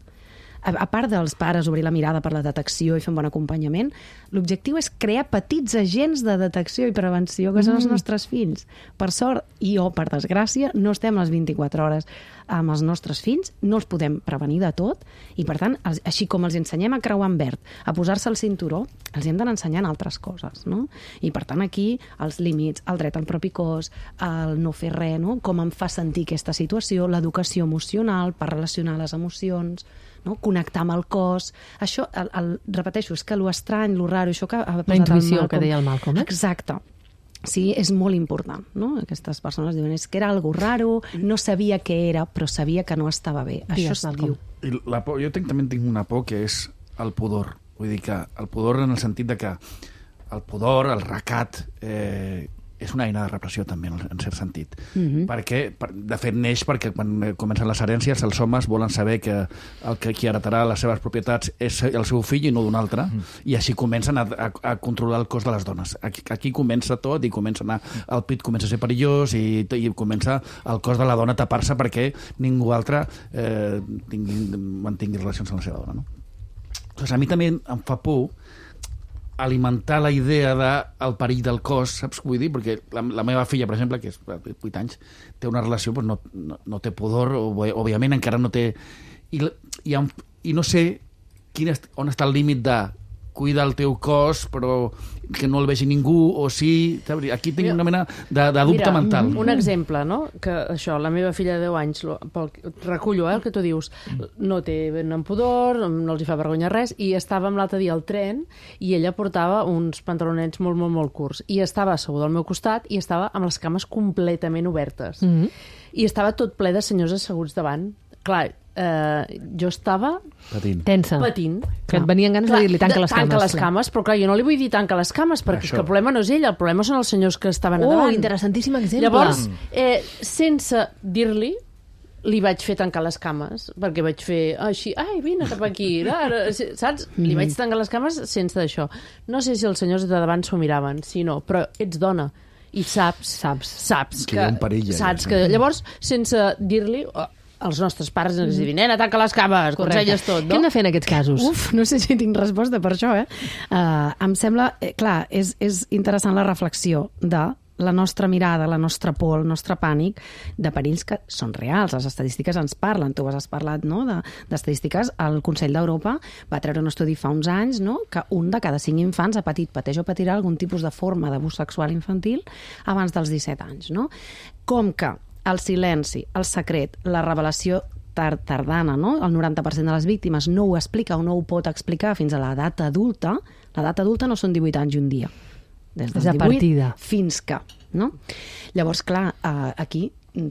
a part dels pares obrir la mirada per la detecció i fer un bon acompanyament, l'objectiu és crear petits agents de detecció i prevenció que són els nostres fills. Per sort, o per desgràcia, no estem les 24 hores amb els nostres fills, no els podem prevenir de tot, i per tant, així com els ensenyem a creuar en verd, a posar-se el cinturó, els hem d'anar ensenyant altres coses, no? I per tant aquí, els límits, el dret al propi cos, el no fer res, no? Com em fa sentir aquesta situació, l'educació emocional per relacionar les emocions, no? Connectar amb el cos. Això, repeteixo, és que lo estrany, lo raro, això que ha posat la intuïció que deia el Malcolm. Exacte. Sí, és molt important, no? Aquestes persones diuen, és que era algo raro, no sabia què era, però sabia que no estava bé. Això es diu. I la por, jo també tinc una por que és el pudor. Vull dir que el pudor en el sentit de que el pudor, el recat, és una eina de repressió també, en cert sentit. Perquè, de fet, neix perquè quan comencen les herències els homes volen saber que qui heretarà les seves propietats és el seu fill i no d'un altre, i així comencen a controlar el cos de les dones. Aquí comença tot i comença a anar, el pit comença a ser perillós i comença el cos de la dona a tapar-se perquè ningú altre mantingui relacions amb la seva dona. No? Doncs a mi també em fa por alimentar la idea del perill del cos, saps què vull dir? Perquè la meva filla, per exemple, que és 8 anys, té una relació, doncs no té pudor, òbviament encara no té... I no sé on està el límit de cuida el teu cos, però que no el vegi ningú, o sí... Aquí tinc una mena de dubte mental. Un exemple, no? Que això, la meva filla de 10 anys, recullo el que tu dius, no té ben pudor, no els hi fa vergonya res, i estàvem l'altre dia al tren i ella portava uns pantalonets molt, molt, molt curts, i estava asseguda al meu costat i estava amb les cames completament obertes. I estava tot ple de senyors asseguts davant. Clar, jo estava tensa. patint. Que et venien ganes de dir-li tanca les cames. Tanca les cames, però clar, jo no li vull dir tanca les cames, perquè és que el problema no és ell, el problema són els senyors que estaven a davant. Interessantíssim exemple. Llavors, sense dir-li, li vaig fer tancar les cames, perquè vaig fer així, ai, vine cap aquí, saps? Li vaig tancar les cames sense això. No sé si els senyors de davant s'ho miraven, si no, però ets dona i saps que hi ha un perill. Saps que llavors, sense dir-li, els nostres pares ens diuen, nena, tanca les cames, conselles tot, no? Què hem de fer en aquests casos? No sé si tinc resposta per això, em sembla, clar, és interessant la reflexió de la nostra mirada, la nostra por, el nostre pànic de perills que són reals. Les estadístiques ens parlen. Tu has parlat, no?, d'estadístiques. El Consell d'Europa va treure un estudi fa uns anys, no?, que 1 de cada 5 infants pateix o patirà algun tipus de forma d'abús sexual infantil abans dels 17 anys, no? Com que el silenci, el secret, la revelació tardana, no? El 90% de les víctimes no ho explica o no ho pot explicar fins a l'edat adulta. L'edat adulta no són 18 anys i un dia. Des dels 18 fins que, no? Llavors, clar, aquí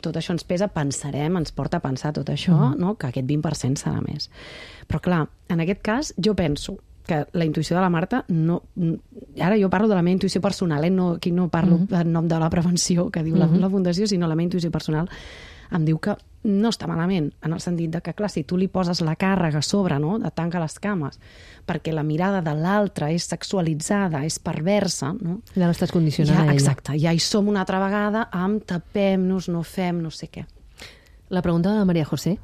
tot això ens pesa, ens porta a pensar tot això, no? Que aquest 20% serà més. Però, clar, en aquest cas, jo penso que la intuïció de la Marta no... Ara jo parlo de la meva intuïció personal, aquí no parlo en nom de la prevenció que diu la Fundació, sinó la meva intuïció personal em diu que no està malament, en el sentit de que, clar, si tu li poses la càrrega a sobre, no?, de tanca les cames, perquè la mirada de l'altre és sexualitzada, és perversa, no? Ja l'estàs condicionant a ella. Exacte, ja hi som una altra vegada amb tapem-nos, no fem no sé què. La pregunta de la Maria José.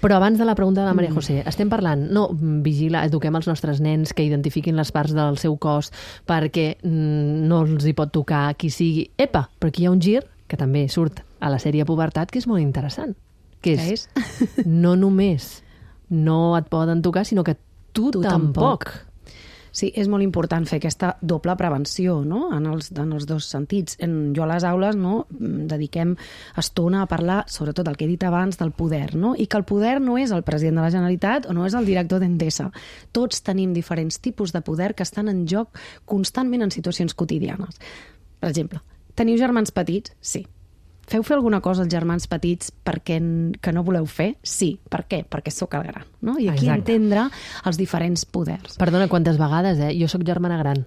Però abans de la pregunta de la Maria José, estem parlant, eduquem els nostres nens que identifiquin les parts del seu cos perquè no els hi pot tocar qui sigui. Epa, però aquí hi ha un gir que també surt a la sèrie Pubertat, que és molt interessant. Que és? No només no et poden tocar, sinó que tu tampoc. Sí, és molt important fer aquesta doble prevenció, no?, en els dos sentits. Jo a les aules, no?, dediquem estona a parlar, sobretot el que he dit abans, del poder, no?, i que el poder no és el president de la Generalitat o no és el director d'Endesa. Tots tenim diferents tipus de poder que estan en joc constantment en situacions quotidianes. Per exemple, teniu germans petits? Sí. Feu fer alguna cosa als germans petits que no voleu fer? Sí. Per què? Perquè sóc el gran, no? I aquí entendre els diferents poders. Perdona, quantes vegades, Jo sóc germana gran.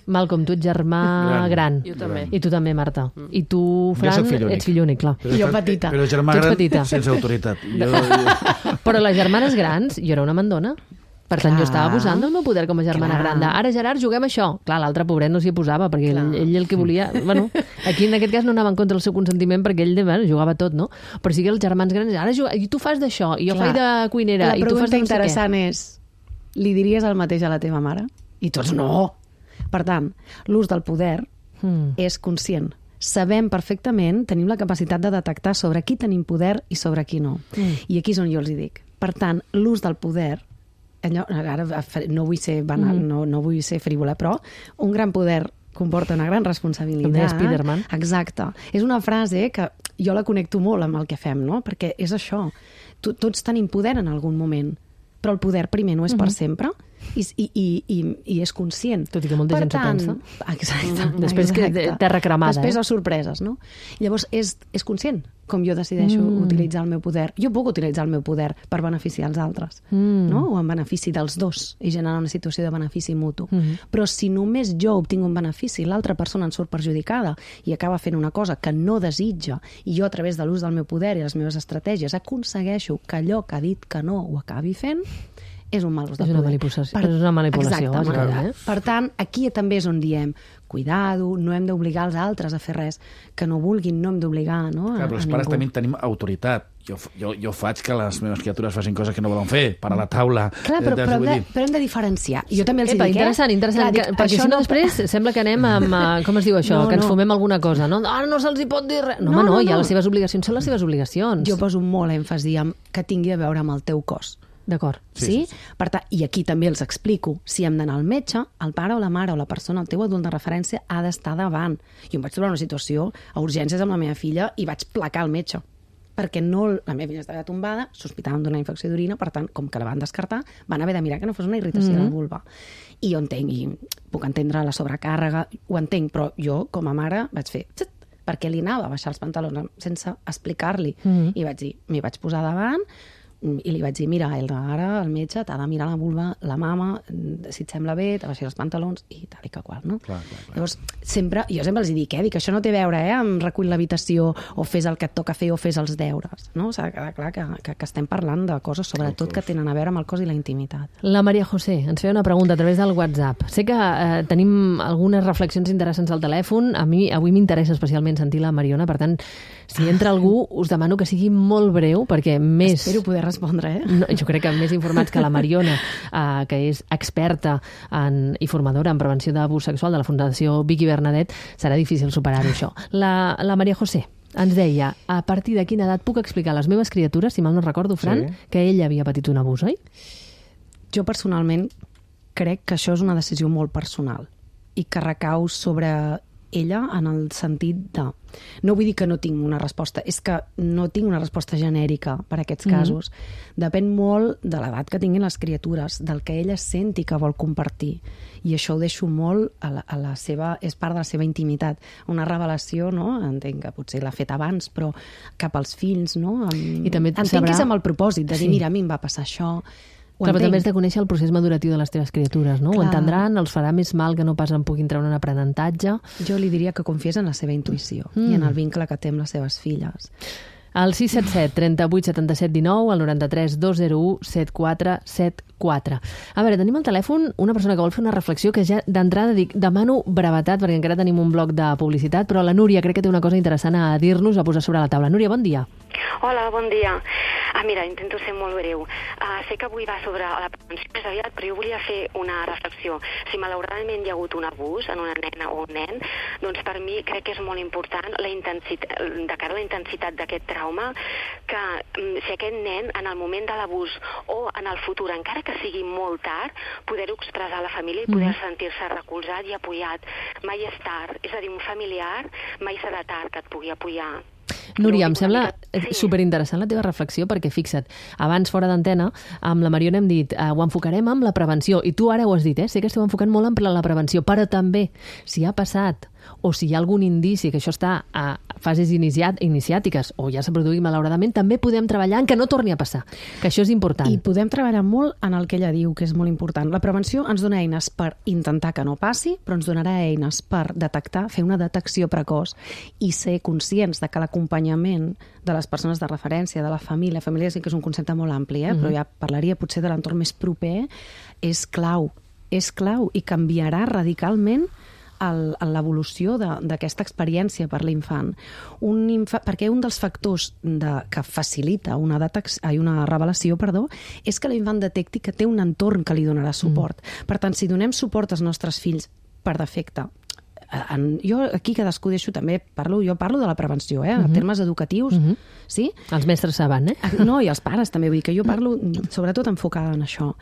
Malcolm, tu ets germà gran. Jo també. I tu també, Marta. I tu, Fran, ets fill únic, clar. Jo petita. Però germà gran sense autoritat. Però les germanes grans, jo era una mandona. Per tant, jo estava abusant del meu poder com a germana gran. Ara, Gerard, juguem això. Clar, l'altre pobret no s'hi posava, perquè ell el que volia... Bueno, aquí en aquest cas no anava en contra del seu consentiment, perquè ell jugava tot, no? Però sí que els germans grans, ara i tu fas d'això, i jo faig de cuinera, i tu fas de no sé què. La pregunta interessant és, li diries el mateix a la teva mare? I tots no! Per tant, l'ús del poder és conscient. Sabem perfectament, tenim la capacitat de detectar sobre qui tenim poder i sobre qui no. I aquí és on jo els hi dic. Per tant, l'ús del poder, ara no vull ser banal, no vull ser frívola, però un gran poder comporta una gran responsabilitat. Com deia Spiderman. Exacte. És una frase que jo la connecto molt amb el que fem, no? Perquè és això. Tots tenim poder en algun moment, però el poder primer no és per sempre i és conscient. Tot i que molta gent s'ho pensa. Exacte. Després que terra cremada. Després les sorpreses, no? Llavors és conscient com jo decideixo utilitzar el meu poder. Jo puc utilitzar el meu poder per beneficiar els altres, no? O en benefici dels dos, i generar una situació de benefici mutu. Però si només jo obtinc un benefici, l'altra persona en surt perjudicada i acaba fent una cosa que no desitja, i jo a través de l'ús del meu poder i les meves estratègies aconsegueixo que allò que ha dit que no ho acabi fent, és un mal ús de poder. És una manipulació. Per tant, aquí també és on diem cuidado, no hem d'obligar els altres a fer res que no vulguin, no hem d'obligar, no? Clar, però els pares també tenim autoritat. Jo faig que les meves criatures facin coses que no volen fer, per a la taula... Clar, però hem de diferenciar. Jo també els dic, interessant. Perquè si no després sembla que anem amb... Com es diu això? Que ens fumem alguna cosa, no? Ara no se'ls hi pot dir res. No, ja les seves obligacions són les seves obligacions. Jo poso molt èmfasi en que tingui a veure amb el teu cos. D'acord. Sí? Per tant, i aquí també els explico. Si hem d'anar al metge, el pare o la mare o la persona, el teu adult de referència, ha d'estar davant. Jo em vaig trobar una situació a urgències amb la meva filla i vaig placar el metge. Perquè la meva filla estava tombada, sospitaven d'una infecció d'orina, per tant, com que la van descartar, van haver de mirar que no fos una irritació de la vulva. I jo entenc, i puc entendre la sobrecàrrega, ho entenc, però jo, com a mare, vaig fer... perquè li anava a baixar els pantalons sense explicar-li. I vaig dir, m'hi vaig posar davant i li vaig dir, mira, ara el metge t'ha de mirar la vulva, la mama, si et sembla bé, te baixi els pantalons i tal i que qual, no? Clar. Llavors, jo sempre els dic, dic, això no té a veure amb recull l'habitació o fes el que et toca fer o fes els deures, no? S'ha de quedar clar que estem parlant de coses, sobretot, que tenen a veure amb el cos i la intimitat. La Maria José ens feia una pregunta a través del WhatsApp. Sé que tenim algunes reflexions interessants al telèfon. A mi avui m'interessa especialment sentir la Mariona, per tant, si entra algú, us demano que sigui molt breu, perquè més... Espero poder respondre, No, jo crec que més informats que la Mariona, que és experta i formadora en prevenció d'abús sexual de la Fundació Vicky Bernadet, serà difícil superar-ho, això. La Maria José ens deia, a partir de quina edat puc explicar a les meves criatures, si mal no recordo, Fran, que ella havia patit un abús, oi? Jo personalment crec que això és una decisió molt personal i que recau sobre ella en el sentit de... No vull dir que no tinc una resposta, és que no tinc una resposta genèrica per a aquests casos. Depèn molt de l'edat que tinguin les criatures, del que ella senti que vol compartir. I això ho deixo molt a la seva... És part de la seva intimitat. Una revelació, no? Entenc que potser l'ha fet abans, però cap als fills, no? I també entenc que és amb el propòsit de dir, mira, a mi em va passar això... Clar, però també has de conèixer el procés maduratiu de les teves criatures, no? Ho entendran, els farà més mal que no pas en puguin treure un aprenentatge. Jo li diria que confiés en la seva intuïció i en el vincle que té amb les seves filles. Al 677 38 77 19, al 93 201 7474. A veure, tenim al telèfon una persona que vol fer una reflexió que ja d'entrada dic, demano brevetat perquè encara tenim un bloc de publicitat, però la Núria crec que té una cosa interessant a dir-nos, a posar sobre la taula. Núria, bon dia. Hola, bon dia. Mira, intento ser molt breu. Sé que avui va sobre la prevenció més aviat, però jo volia fer una reflexió. Si malauradament hi ha hagut un abús en una nena o un nen, doncs per mi crec que és molt important de cara a la intensitat d'aquest trauma, que si aquest nen en el moment de l'abús o en el futur, encara que sigui molt tard, poder-ho expressar a la família i poder sentir-se recolzat i apoyat. Mai és tard, és a dir, un familiar mai serà tard que et pugui apoyar. Núria, em sembla superinteressant la teva reflexió perquè, fixa't, abans fora d'antena, amb la Mariona hem dit ho enfocarem amb la prevenció, i tu ara ho has dit, sé que esteu enfocant molt en la prevenció, però també, si ha passat o si hi ha algun indici que això està a fases iniciàtiques o ja s'ha produït malauradament, també podem treballar en que no torni a passar, que això és important. I podem treballar molt en el que ella diu, que és molt important. La prevenció ens dona eines per intentar que no passi, però ens donarà eines per detectar, fer una detecció precoç i ser conscients de que l'acompanyament de les persones de referència, de la família sí que és un concepte molt ampli, però ja parlaria potser de l'entorn més proper, és clau i canviarà radicalment l'evolució d'aquesta experiència per l'infant. Perquè un dels factors que facilita una revelació, és que l'infant detecti que té un entorn que li donarà suport. Per tant, si donem suport als nostres fills per defecte, jo aquí cadascú deixo també, jo parlo de la prevenció, en termes educatius, sí? Els mestres saben, No, i els pares també, vull dir que jo parlo sobretot enfocada en això.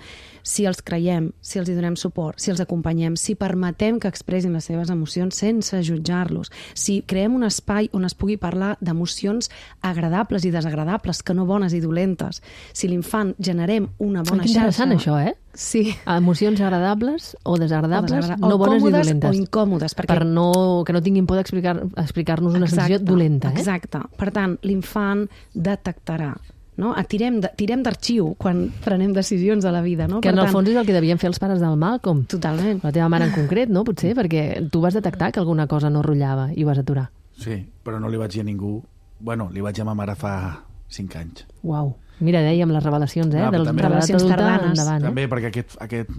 Si els creiem, si els hi donem suport, si els acompanyem, si permetem que expressin les seves emocions sense jutjar-los, si creem un espai on es pugui parlar d'emocions agradables i desagradables, que no bones i dolentes, si l'infant generem una bona xarxa... Interessant això, Sí. Emocions agradables o desagradables, no bones ni dolentes. O incòmodes. Que no tinguin por d'explicar-nos una sensació dolenta. Exacte. Per tant, l'infant detectarà. No? Tirem d'arxiu quan prenem decisions a la vida. No? Que en el fons és el que devien fer els pares del Malcolm. Totalment. La teva mare en concret, no? Potser, perquè tu vas detectar que alguna cosa no rotllava i ho vas aturar. Sí, però no li vaig dir a ningú... Bueno, li vaig dir a ma mare fa 5 anys. Uau. Mira, dèiem les revelacions, de les revelacions tardanes. Endavant, també perquè aquest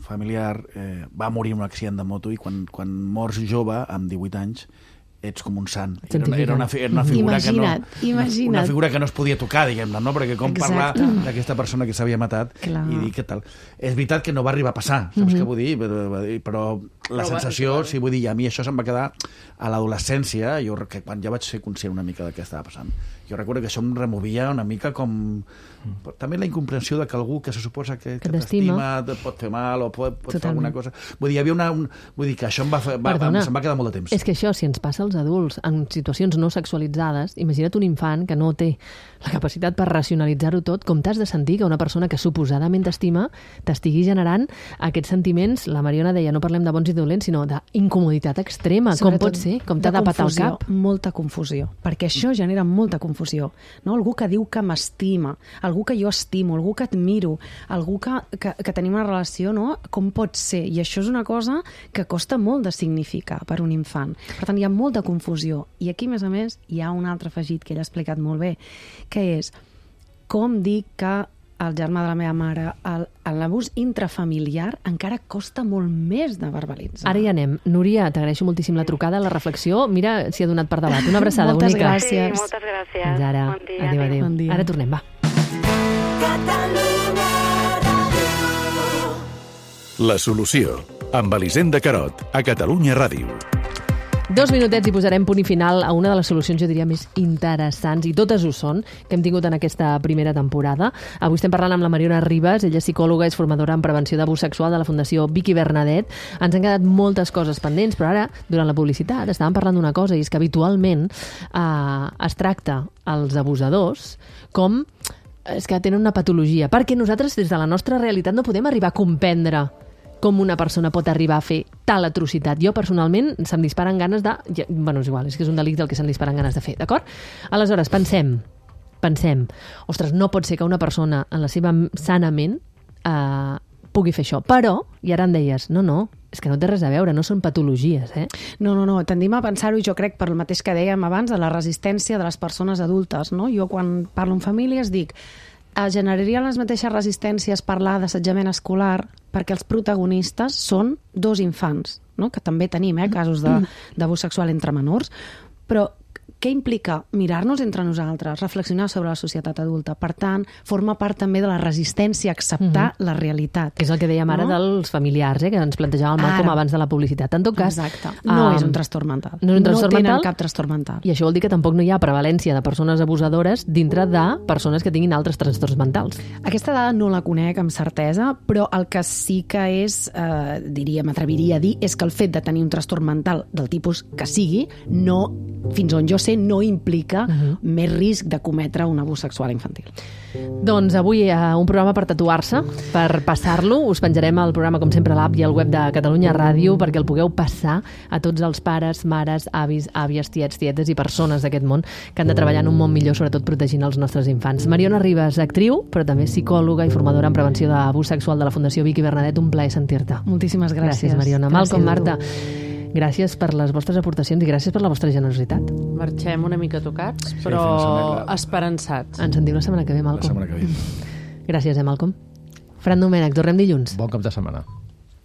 familiar va morir en un accident de moto i quan mors jove, amb 18 anys, ets com un sant. Era una figura una figura que no es podia tocar, diguem-ne, no? Perquè com parlar d'aquesta persona que s'havia matat i dir què tal. És veritat que no va arribar a passar, saps què vull dir? Però la sensació, sí, vull dir, a mi això se'm va quedar a l'adolescència, quan ja vaig ser conscient una mica de què estava passant. Jo recordo que això em removia una mica com... També la incomprensió de que algú que se suposa que t'estima pot fer mal o pot fer alguna cosa. Vull dir, hi havia vull dir que això se'm va quedar molt de temps. És que això, si ens passa als adults en situacions no sexualitzades, imagina't un infant que no té la capacitat per racionalitzar-ho tot, com t'has de sentir que una persona que suposadament t'estima t'estigui generant aquests sentiments, la Mariona deia, no parlem de bons i ser dolent, sinó d'incomoditat extrema. Com pot ser? Com t'ha de patar el cap? Molta confusió, perquè això genera molta confusió. No? Algú que diu que m'estima, algú que jo estimo, algú que admiro, algú que tenim una relació, no? Com pot ser? I això és una cosa que costa molt de significar per un infant. Per tant, hi ha molta confusió. I aquí, a més, hi ha un altre afegit que ell ha explicat molt bé, que és com dic que el germà de la meva mare, l'abús intrafamiliar encara costa molt més de verbalitzar. Ara hi anem. Núria, t'agraeixo moltíssim la trucada, la reflexió. Mira si ha donat per debat. Una abraçada moltes bonica. Gràcies. Sí, moltes gràcies. Fins ara. Bon dia. Adéu. Bon dia. Ara tornem, va. La solució, amb Elisenda Carot, a Catalunya Ràdio. 2 minutets i posarem punt i final a una de les solucions, jo diria, més interessants, i totes ho són, que hem tingut en aquesta primera temporada. Avui estem parlant amb la Mariona Ribas, ella és psicòloga, és formadora en prevenció d'abús sexual de la Fundació Vicky Bernadet. Ens han quedat moltes coses pendents, però ara, durant la publicitat, estàvem parlant d'una cosa, i és que habitualment es tracta els abusadors com és que tenen una patologia, perquè nosaltres, des de la nostra realitat, no podem arribar a comprendre com una persona pot arribar a fer tal atrocitat. Jo, personalment, se'm disparen ganes de... Bueno, és igual, és que és un delicte el que se'm disparen ganes de fer, d'acord? Aleshores, pensem, ostres, no pot ser que una persona en la seva sana ment pugui fer això. Però, i ara em deies, no, és que no té res a veure, no són patologies, eh? No, tendim a pensar-ho, i jo crec, per el mateix que dèiem abans, de la resistència de les persones adultes, no? Jo, quan parlo amb famílies, dic generarien les mateixes resistències parlar d'assetjament escolar perquè els protagonistes són 2 infants, no? Que també tenim casos d'abús sexual entre menors, però què implica mirar-nos entre nosaltres, reflexionar sobre la societat adulta? Per tant, forma part també de la resistència a acceptar la realitat. Que és el que dèiem ara dels familiars, que ens plantejava el Malcolm abans de la publicitat. En tot cas... Exacte. No és un trastorn mental. No tenen cap trastorn mental. I això vol dir que tampoc no hi ha prevalència de persones abusadores dintre de persones que tinguin altres trastorns mentals. Aquesta dada no la conec amb certesa, però el que sí que és, m'atreviria a dir, és que el fet de tenir un trastorn mental del tipus que sigui, no, fins on jo sé, no implica més risc de cometre un abús sexual infantil. Doncs avui un programa per tatuar-se, per passar-lo. Us penjarem el programa, com sempre, a l'app i al web de Catalunya Ràdio perquè el pugueu passar a tots els pares, mares, avis, àvies, tiets, tietes i persones d'aquest món que han de treballar en un món millor, sobretot protegint els nostres infants. Mariona Ribas, actriu, però també psicòloga i formadora en prevenció d'abús sexual de la Fundació Vicky Bernadet. Un plaer sentir-te. Moltíssimes gràcies. Gràcies, Mariona. Malcolm, Marta, gràcies per les vostres aportacions i gràcies per la vostra generositat. Marxem una mica tocats, però esperançats. Ens sentim la setmana que ve, Malcolm. La setmana que ve. Gràcies, Malcolm. Fran Domènech, tornem dilluns. Bon cap de setmana.